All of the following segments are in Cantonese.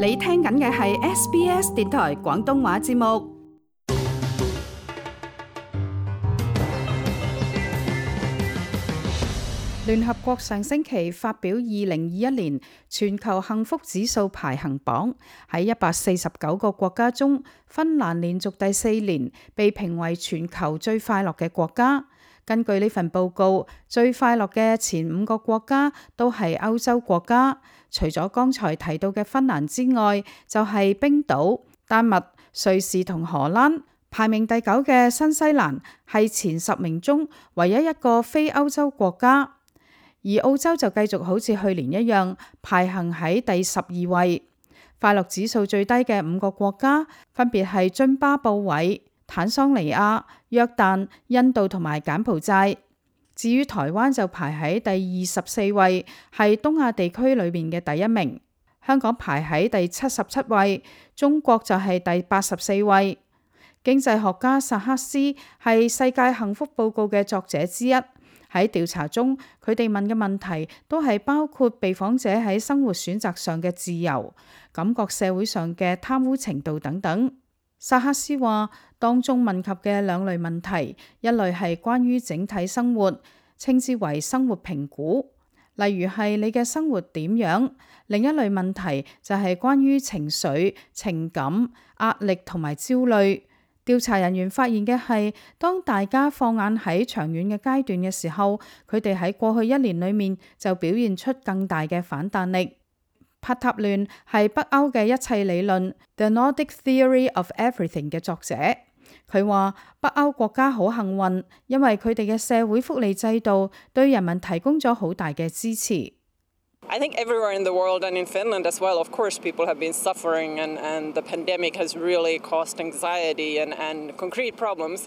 你聽緊嘅係 SBS 電台廣東話節目。聯合國上星期發表2021年全球幸福指數排行榜，喺149個國家中，芬蘭連續第4年被評為全球最快樂嘅國家。根據呢份報告，最快樂嘅前5個國家都係歐洲國家，除咗剛才提到嘅芬蘭之外，就係冰島、丹麥、瑞士同荷蘭。排名第9嘅新西蘭係前10名中唯一一個非歐洲國家，而澳洲就繼續好似去年一樣排行喺第12位。快樂指數最低嘅5個國家分別係津巴布韋、坦桑尼亞、約旦、印度同埋柬埔寨。至於台灣就排喺第24位，係東亞地區裏面嘅第1名。香港排喺第77位，中國就係第84位。經濟學家薩克斯係世界幸福報告嘅作者之一。喺調查中，佢哋問嘅問題都係包括被訪者喺生活選擇上嘅自由、感覺社會上嘅貪污程度等等。薩克斯話，當中問及嘅2類問題，一類係關於整體生活，稱之為生活評估，例如係你嘅生活點樣；另一類問題就係關於情緒、情感、壓力同埋焦慮。調查人員發現嘅係，當大家放眼喺長遠嘅階段嘅時候，佢哋喺過去1年裏面就表現出更大嘅反彈力。帕塔亂係北歐嘅一切理論 The Nordic Theory of Everything 嘅作者，佢話北歐國家好幸運，因為佢哋嘅社會福利制度對人民提供咗好大嘅支持。I think everywhere in the world and in Finland as well, of course, people have been suffering and the pandemic has really caused anxiety and concrete problems.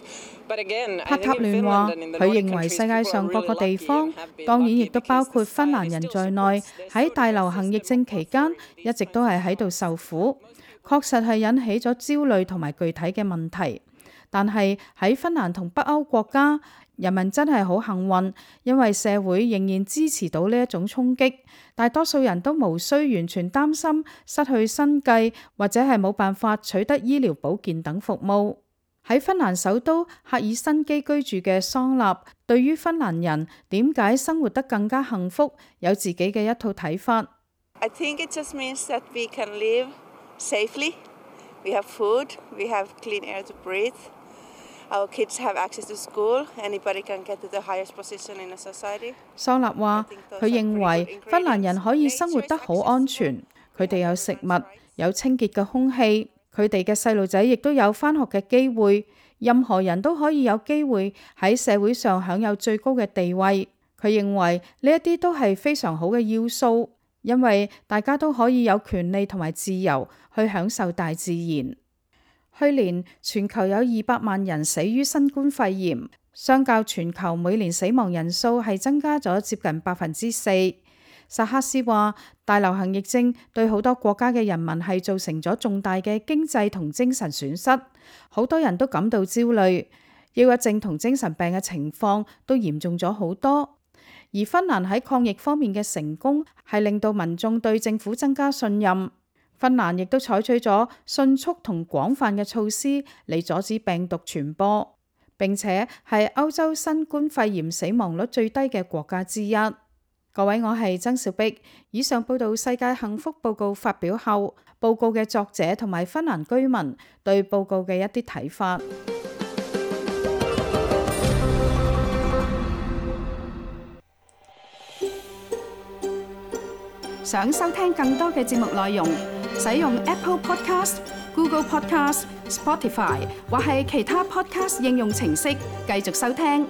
But again, 帕塔亂話，佢認為世界上各個地方，當然亦都包括芬蘭人在內，喺大流行疫症期間一直都係喺度受苦，確實係引起咗焦慮同埋具體嘅問題。但係喺芬蘭同北歐國家，人民真係好幸運，因為社會仍然支持到呢一種衝擊，大多數人都無需完全擔心失去生計，或者係冇辦法取得醫療保健等服務。喺芬蘭首都赫爾辛基居住嘅桑納，對於芬蘭人點解生活得更加幸福，有自己嘅一套睇法。I think it just means that we can live safely. We have food, we have clean air to breathe.Our kids have access to school. Anybody can get to the highest position in a society. 桑納話，佢認為芬蘭人可以生活得好安全，佢哋有食物，有清潔嘅空氣，佢哋嘅細路仔亦都有返學嘅機會，任何人都可以有機會喺社會上享有最高嘅地位。佢認為呢一啲都係非常好嘅要素，因為大家都可以有權利同埋自由去享受大自然。去年全球有200萬人死於新冠肺炎，相較全球每年死亡人數係增加咗接近4%。薩克斯話，大流行疫症對好多國家嘅人民係造成咗重大嘅經濟同精神損失，好多人都感到焦慮，抑鬱症同精神病嘅情況都嚴重咗好多。而芬蘭喺抗疫方面嘅成功係令到民眾對政府增加信任。芬蘭亦都採取咗迅速同廣泛嘅措施嚟阻止病毒傳播，並且係歐洲新冠肺炎死亡率最低嘅國家之一。各位，我係曾兆碧。以上報道世界幸福報告發表後，報告嘅作者同埋芬蘭居民對報告嘅一啲睇法。想收聽更多嘅節目內容，使用 Apple Podcast、Google Podcast、Spotify 或係其他 Podcast 應用程式繼續收聽。